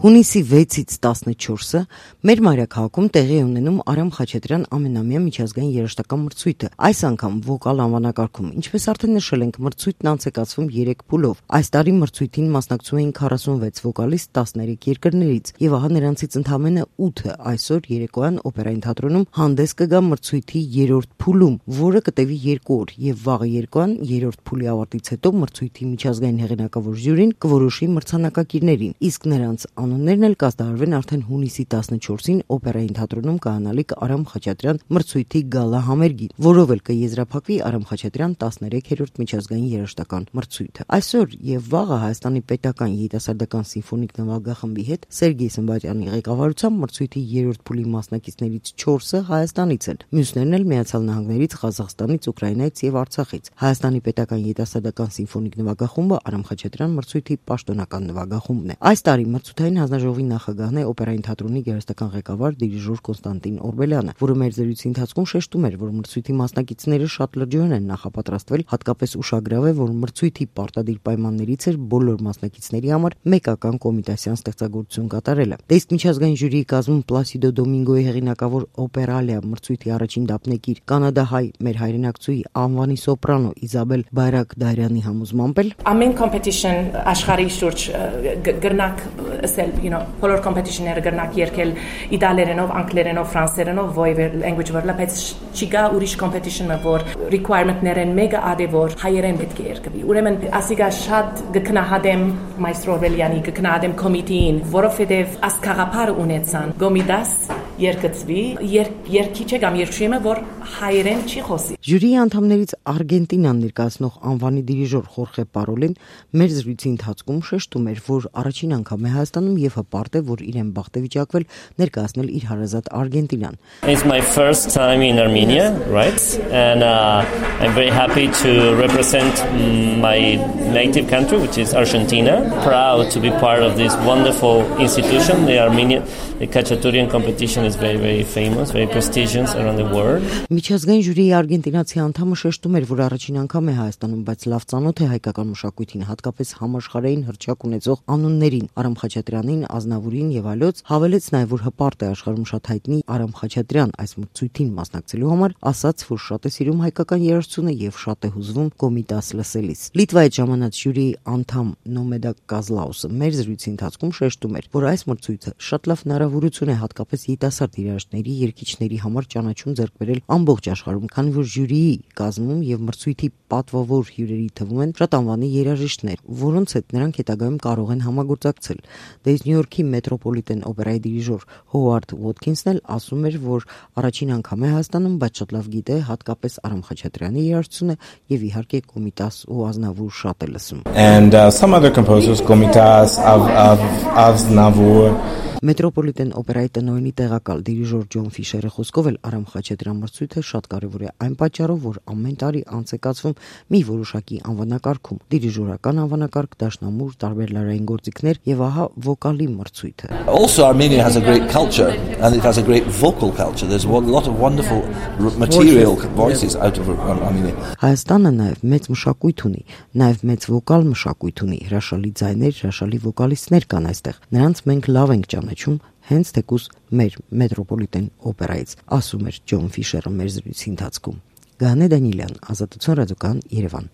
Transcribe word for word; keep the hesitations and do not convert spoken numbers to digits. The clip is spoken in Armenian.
Հունիսի վեցից տասնչորսը մեր մայրաքաղաքում տեղի է ունենում Արամ Խաչատրյան ամենամյա միջազգային երաժշտական մրցույթը, այս անգամ վոկալ անվանակարգում, ինչպես արդեն նշել ենք, մրցույթն անց է կացվում երեք փուլով։ Այս տարի մրցույթին մասնակցում էին քառասունվեց վոկալիստ տասներեք երկրներից, եւ ահա նրանցից ընդամենը ութը այսօր երեկոյան օպերային թատրոնում հանդես կգա մրցույթի երրորդ փուլում, որը կտևի երկու օր, եւ վաղը երեկոյան երրորդ փուլի ավարտից հետո մրցույթի միջազգային հեղինակավոր ժյուրին կորոշի մրցանակակիրներին, իսկ նրանց անուններն էլ կազդարվեն արդեն հունիսի տասնչորսին օպերային թատրոնում կայանալիք Արամ Խաչատրյան մրցույթի գալա համերգին, որով էլ կեզրափակվի Արամ Խաչատրյան տասներեքերորդ միջազգային երաժշտական մրցույթը։ Այսօր եւ վաղը Հայաստանի պետական երիտասարդական սիմֆոնիկ նվագախմբի հետ Սերգեյ Սմբատյանի ղեկավարությամբ մրցույթի երրորդ փուլի մասնակիցներից չորսը Հայաստանից են, մյուսներն էլ Միացյալ Նահանգներից, Ղազախստանից, Ուկրաինայից եւ Արցախից։ Հայաստանի պետական երիտասարդական սիմֆոնիկ նվագախումբը Արամ Խաչատրյան մրցույթի պաշտոնական նվագախումբն է։ Այս տարի մրցութային հանձնաժողովի նախագահն է օպերային թատրոնի գեղարվեստական ղեկավար դիրիժոր Կոնստանտին Օրբելյանը, որը մեր զրույցի ընթացքում շեշտում էր, որ մրցույթի մասնակիցները շատ լրջորեն են նախապատրաստվել, հատկապես ուշագրավ է, որ մրցույթի պարտադիր պայմաններից էր բոլոր մասնակիցների համար մեկական կոմիտասյան ստեղծագործություն կատարելը։ Դե իսկ միջազգային ժյուրիի կազմում Պլասիդո Դոմինգոյի հեղինակավոր Օպերալիա մրցույթի առաջին դափնեկիր կանադահայ մեր հայրենակցուի անվանի սոպրանո Իզաբել Բայրակդարյանի համոզմամբ էլ ամեն կոմպետիշն աշխարհի շուրջ գրնակ ասել, you know, բոլոր կոմպետիշնները գրնակ երկել իտալերենով, անգլերենով, ֆրանսերենով, voice language վրա, բայց չկա ուրիշ կոմպետիշնը, որ requirement-ներն մեկը ադե որ հայերեն պետք է երկվի։ Ուրեմն ասիգա շատ գկնահատեմ մայստրո Օրբելյանի, գկնահատեմ կոմիտեին, որովհետև ասկաղապար ունեցան գոմիդաս երկծվի, երկիչը կամ երկշույմը, որ հայերեն չի խոսի։ Ժյուրիի անդամներից Արգենտինան ներկայացնող անվանի դիրիժոր Խորխե Պարոլին մեր զրույցի ընթացքում շեշտում էր, որ առաջին անգամ է Հայաստանում եւ հպարտ է, որ իրեն բախտ է վիճակվել ներկայացնել իր հարազատ Արգենտինան։ It's my first time in Armenia, right? And uh, I'm very happy to represent my native country, which is Argentina. Proud to be part of this wonderful institution, the Armenian, the Khachaturian competition is very, very famous, very prestigious around the world. Միջազգային ժյուրիի արգենտինացի անդամը շեշտում էր, որ առաջին անգամ է Հայաստանում, բայց լավ ծանոթ է հայկական մշակույթին, հատկապես համաշխարհային հռչակ ունեցող անուններին, Արամ Խաչատրյանին, Ազնավուրին եւ այլոց, հավելեց նաեւ, որ հպարտ է աշխարհում շատ հայտնի Արամ Խաչատրյան այս մրցույթին մասնակցելու համար, ասաց, որ շատ է սիրում հայկական երաժշտությունը եւ շատ է հուզվում կոմիտաս լսելիս։ Լիտվայից ժամանած ժյուրիի անդամ Նոմեդա Կազլաուսը մեր զրույցի ընթացքում շեշտում էր, որ այս մրցույթը շատ լավ հնարավորություն է հատկապես երիտասարդ երաժշտների, երգիչների համար ճանաչում ձեռք բերել ամբողջ աշխարհում, քանի որ ժյուրիի կազմում եւ մրցույթի պատվավոր հյուրերի թվում են շատ անվանի երաժիշտներ, որոնց հետ նրանք հետագայում կարող են համագործակցել։ Դե իսկ Նյու Յորքի մետրոպոլիտեն օպերայի դիրիժոր Հովարդ Ոթքինսն էլ ասում էր, որ առաջին անգամ է Հայաստանում, բայց շատ լավ գիտե հատկապես Արամ Խաչատրյանի երաժշտությունը եւ իհարկե Կոմիտաս ու Ազնավուր շատ է լսում։ And uh, some other composers, Komitas, Av, Av, Aznavour. Մետրոպոլիտեն օպերայի տնօրենի տեղակալ դիրիժոր Ջոն Ֆիշերը խոսքով էլ Արամ Խաչատրյան մրցույթը շատ կարևոր է այն պատճառով, որ ամեն տարի անց է կացվում մի որոշակի անվանակարգում, դիրիժորական անվանակարգ, դաշնամուր, տարբեր լարային գործիքներ եւ ահա վոկալի մրցույթը։ Also Armenia has a great culture and it has a great vocal culture. There's a lot of wonderful material voices out of Armenia. Հայաստանը նաեւ մեծ մշակույթ ունի, նաեւ մեծ վոկալ մշակույթ ունի, հրաշալի ձայներ, հրաշալի վոկալիստներ կան այստեղ։ Նրանց մենք լավ ենք ճանաչում հենց թեկուզ մեր մետրոպոլիտեն օպերայից, ասում էր Ջոն Ֆիշերը մեր զրույցի ընթացքում։ Գանե Դանիելյան, Ազատություն ռադիոկան, Երևան։